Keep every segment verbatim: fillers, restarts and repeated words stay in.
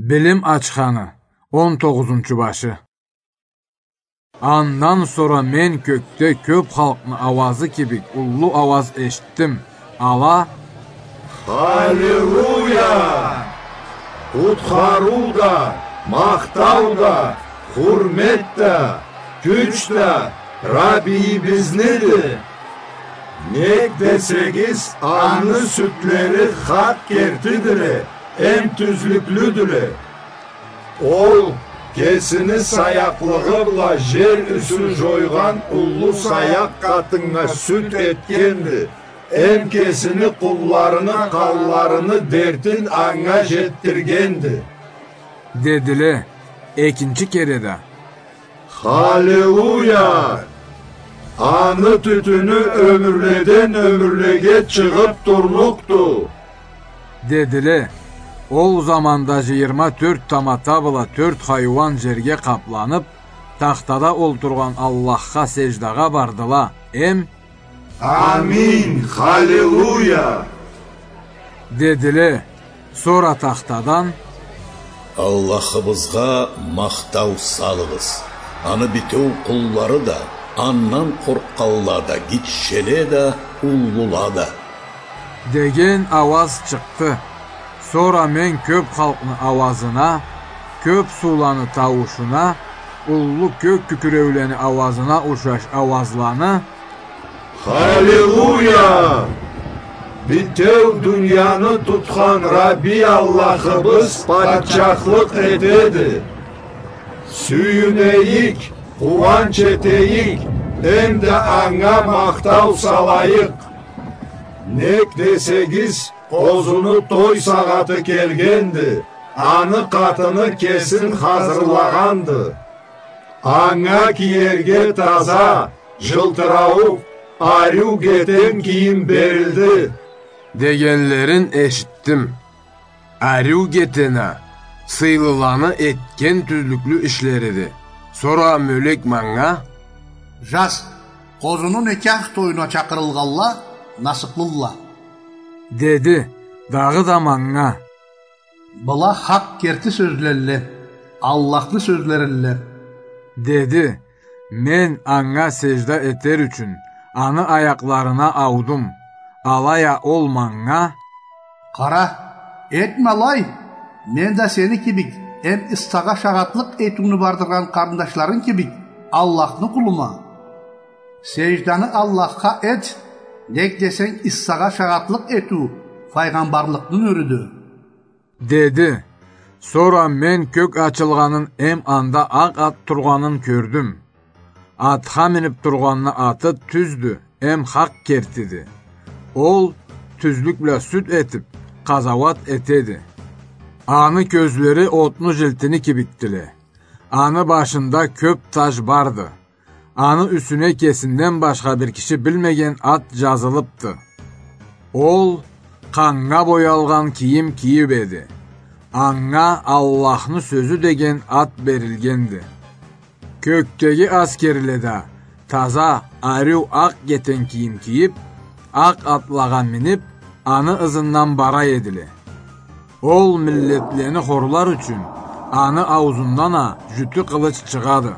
Билим ачханы, он тогъузунчу башы. Андан сора мен кёкде кёп халкъны ауазы кибик уллу ауаз эшитдим. Ала: «Халилуя! Къутхарыу да, махтау да, хурмет да, кюч да Раббийибизнидир. Нек десегиз, аны сюдлери хакъ кертидиле, эм тюзлюклюдюле. Ол кесини саякълыгъы бла жер юсю жойгъан уллу саякъ къатыннга сюд этгенди, эм кесини къулларыны къанларыны дертин анга жетдиргенди», — дедиле. Экинчи кере да: «Халилуя! Аны тютюню ёмюрледен ёмюрлеге чыгъыб турлукъду», — дедиле. Ол заманда жыйырма тёрт тамата бла тёрт хайуан жерге къапланыб, тахтада олтургъан Аллахха сеждагъа бардыла, эм: «Амин, халилуя!» — дедиле. Сора тахтадан: «Аллахыбызгъа махтау салыгъыз. Аны битеу къуллары да, андан къоркъгъанла да, гитчеле да, уллула да», — деген ауаз чыкъды. Сора мен кёб халкъны ауазына, кёб сууланы тауушуна, уллу кёк кюкюреулени ауазына ушаш ауазланы: «Халилуя! Битеу дунияны тутхан Рабби Аллахыбыз патчахлыкъ этеди. Сюйюнейик, къууанч этейик, эмда анга махтау салайыкъ. Нек десегиз, къозуну той сагъаты келгенди, аны къатыны кесин хазырлагъанды. Анга киерге таза, жылтырауукъ, ариу гетен кийим берилди», — дегенлерин эшитдим. Ариу гетен а сыйлыланы этген тюзлюклю ишлериди. Сора мёлек манга: «Жаз, къозуну некях тоюна чакъырылгъанла насыблыдыла», — деди. Дагъыда манга: «Была хакъ керти сёзлелле, Аллахны сёзлерилле», — деди. Мен анга сежда этер ючюн аны аякъларына аудум. Алай а ол манга: «Къара, этме алай, мен да сени кибик, эм Иссагъа шагъатлыкъ этиуню бардыргъан къарындашларынг кибик, Аллахны къулума. Сежданы Аллахха эт, нек десенг, Иссагъа шагъатлыкъ этиу файгъамбарлыкъны нюрюдю», — деди. Сора мен кёк ачылгъанын эм анда акъ ат тургъанын кёрдюм. Атха миниб тургъанны аты тюздю, эм хакъ кертиди. Ол тюзлюк бла сюд этиб, къазауат этеди. Аны кёзлери отну жилтини кибикдиле. Аны башында кёб таж барды. Аны юсюне кесинден башха бир киши билмеген ат жазылыбды. Ол къаннга боялгъан кийим кийиб эди. Анга Аллахны сёзю деген ат берилгенди. Кёкдеги аскерле да таза, ариу акъ гетен кийим кийиб, акъ атлагъа миниб, аны ызындан бара эдиле. Ол миллетлени хорлар ючюн аны ауузундан а жютю къылыч чыгъады.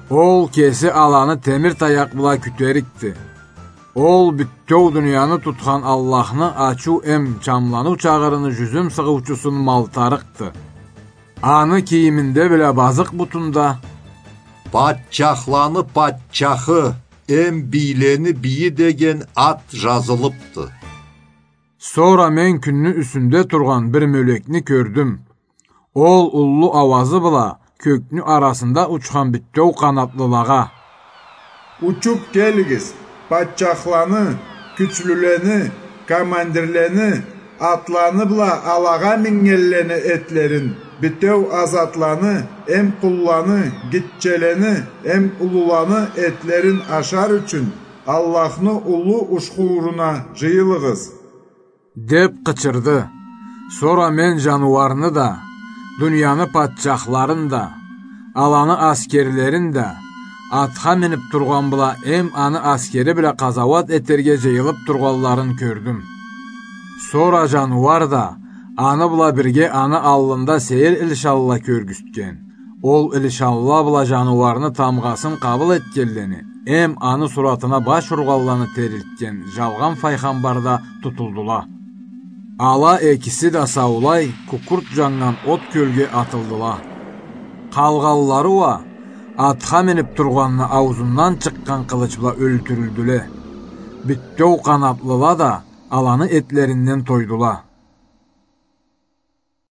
Ол кеси аланы темир таякъ бла кютерикди. Ол бютеу дунияны тутхан Аллахны ачыу эм чамланыу чагъырыны жюзюм сыгъыучусун малтарыкъды. Аны кийиминде бла базыкъ бутунда «Патчахланы патчахы эм бийлени бийи» деген ат жазылыбды. Сора мен кюнню юсюнде тургъан бир мёлекни кёрдюм. Ол уллу ауазы бла кёкню арасында учхан бютеу къанатлылагъа: «Учуб келигиз, патчахланы, кючлюлени, командирлени, атланы бла алагъа мингенлени этлерин, бютеу азатланы эм къулланы, гитчелени эм уллуланы этлерин ашар ючюн Аллахны уллу ушхууруна жыйылыгъыз», — деб къычырды. Сора мен жаныуарны да, дунияны патчахларын да, аланы аскерлерин да, атха миниб тургъан бла эм аны аскери бла къазауат этерге жыйылыб тургъанларын кёрдюм. Сора жаныуар да, Аны бла бирге аны аллында сейир илишанла кёргюзтген. Ол илишанла бла жаныуарны тамгъасын къабыл этгенлени, эм аны суратына баш ургъанланы терилтген жалгъан файгъамбар да тутулдула. Ала экиси да саулай кукурт жаннган от кёлге атылдыла. Къалгъанлары уа атха минип тургъанны ауузундан чыкъгъан къылыч бла ёлтюрюлдюле. Бютеу къанатлыла да аланы этлеринден тойдула.